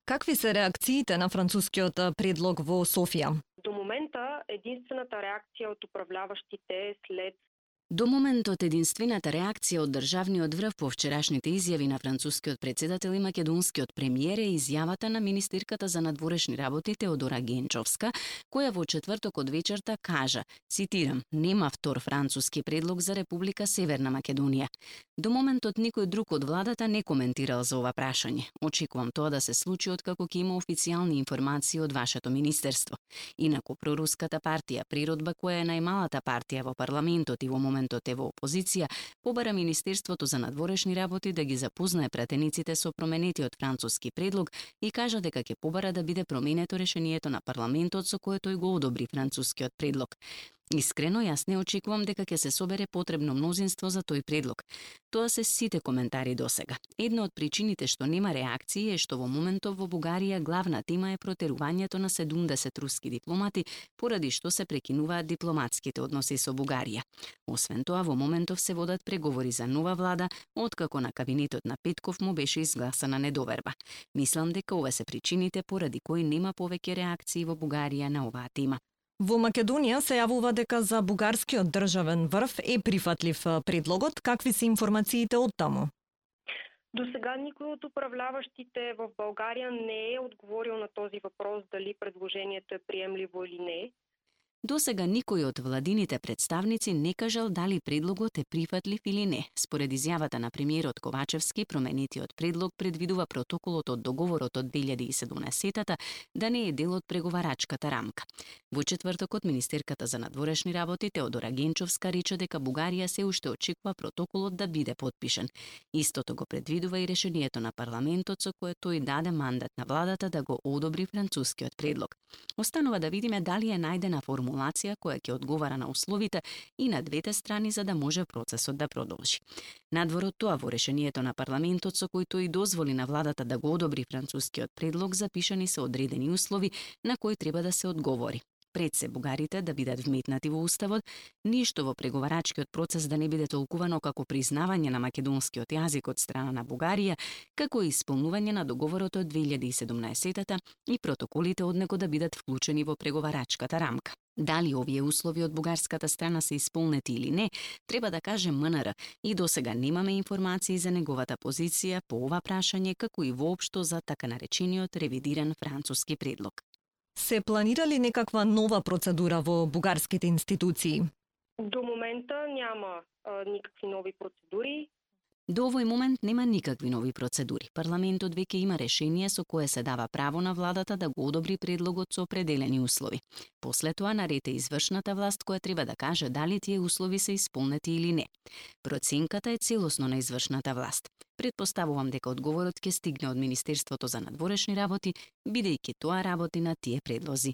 Какви се реакциите на францускиот предлог во Софија? До момента единствената реакција од управляващите след До моментот единствената реакција од државниот врв по вчерашните изјави на францускиот претседател и македонскиот премиер е изјавата на министерката за надворешни работи Теодора Генчовска, која во четврток од вечерта кажа, цитирам, нема втор француски предлог за Република Северна Македонија. До моментот никој друг од владата не коментирал за ова прашање. Очекувам тоа да се случи откако ќе има официјални информации од вашето министерство. Инаку проруската партија Природба, која е најмалата партија во парламентот и во моментот е во опозиција, побара Министерството за надворешни работи да ги запознае пратениците со променетиот француски предлог и кажа дека ќе побара да биде променето решението на парламентот со кое тој го одобри францускиот предлог. Искрено, јас не очекувам дека ќе се собере потребно мнозинство за тој предлог. Тоа се сите коментари досега. Една од причините што нема реакции е што во моментов во Бугарија главна тема е протерувањето на 70 руски дипломати, поради што се прекинуваат дипломатските односи со Бугарија. Освен тоа, во моментов се водат преговори за нова влада, откако на кабинетот на Петков му беше изгласана недоверба. Мислам дека ова се причините поради кои нема повеќе реакции во Бугарија на оваа тема. Во Македонија се јавува дека за бугарскиот државен врв е прифатлив предлогот. Какви се информациите од таму? До сега никој од управляващите в Българија не е одговорил на този въпрос дали предложението е приемливо или не. Досега никој од владините представници не кажал дали предлогот е прифатлив или не. Според изјавата на премиерот Ковачевски, променетиот предлог предвидува протоколот од договорот од 2017-та да не е дел од преговарачката рамка. Во четвртокот министерката за надворешни работи Теодора Генчовска рече дека Бугарија се уште очекува протоколот да биде потпишен. Истото го предвидува и решението на парламентот со кое тој даде мандат на владата да го одобри францускиот предлог. Останува да видиме дали е најдена формулација која ќе одговара на условите и на двете страни за да може процесот да продолжи. Надвор од тоа, во решението на парламентот со кој тој дозволи на владата да го одобри францускиот предлог, запишани се одредени услови на кои треба да се одговори. Пред се бугарите да бидат вметнати во уставот, ништо во преговарачкиот процес да не биде толкувано како признавање на македонскиот јазик од страна на Бугарија, како и исполнување на договорот од 2017-та и протоколите од него да бидат вклучени во преговарачката рамка. Дали овие услови од бугарската страна се исполнети или не, треба да каже МНР и досега немаме информации за неговата позиција по ова прашање, како и воопшто за така наречениот ревидиран француски предлог. Се планира ли некаква нова процедура во бугарските институции? До момента няма никакви нови процедури. До овој момент нема никакви нови процедури. Парламентот веќе има решение со кое се дава право на владата да го одобри предлогот со определени услови. После тоа наред е извршната власт која треба да каже дали тие услови се исполнети или не. Проценката е целосно на извршната власт. Предпоставувам дека одговорот ќе стигне од Министерството за надворешни работи, бидејќи тоа работи на тие предлози.